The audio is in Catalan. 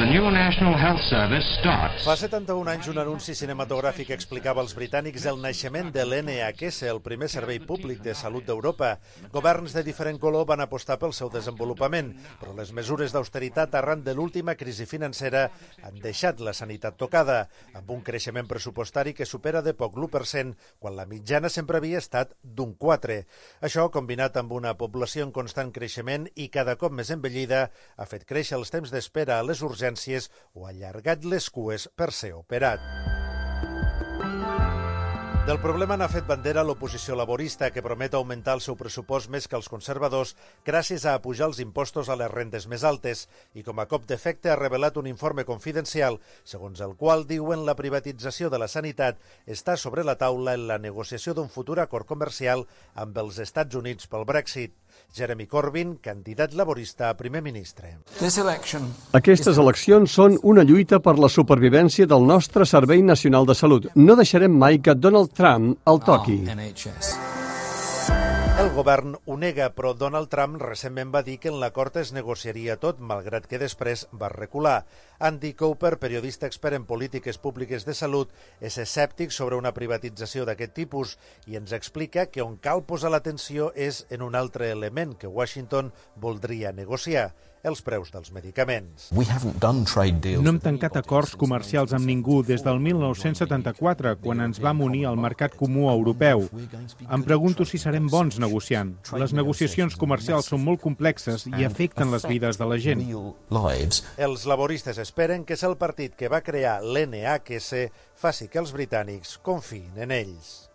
the new National Health Service starts. Fa 71 anys un anunci cinematogràfic explicava als britànics el naixement de l'NHS, el primer servei públic de salut d'Europa. Governs de diferent color van apostar pel seu desenvolupament, però les mesures d'austeritat arran de l'última crisi financera han deixat la sanitat tocada, amb un creixement pressupostari que supera de poc l'1%, quan la mitjana sempre havia estat d'un 4%. Això, combinat amb una població en constant creixement i cada cop més envellida, ha fet créixer els temps d'espera a les urgències o ha allargat les cues per ser operat. Del problema n'ha fet bandera l'oposició laborista, que promet augmentar el seu pressupost més que els conservadors gràcies a apujar els impostos a les rendes més altes i, com a cop d'efecte, ha revelat un informe confidencial segons el qual diuen la privatització de la sanitat està sobre la taula en la negociació d'un futur acord comercial amb els Estats Units pel Brexit. Jeremy Corbyn, candidat laborista a primer ministre. Aquestes eleccions són una lluita per la supervivència del nostre Servei Nacional de Salut. No deixarem mai que Donald Trump el toqui. El govern ho nega, però Donald Trump recentment va dir que en l'acord es negociaria tot, malgrat que després va recular. Andy Cooper, periodista expert en polítiques públiques de salut, és escèptic sobre una privatització d'aquest tipus i ens explica que on cal posar l'atenció és en un altre element que Washington voldria negociar: els preus dels medicaments. No hem tancat acords comercials amb ningú des del 1974, quan ens vam unir al mercat comú europeu. Em pregunto si serem bons negociant. Les negociacions comercials són molt complexes i afecten les vides de la gent. Els laboristes esperen que és el partit que va crear l'NHS faci que els britànics confiïn en ells.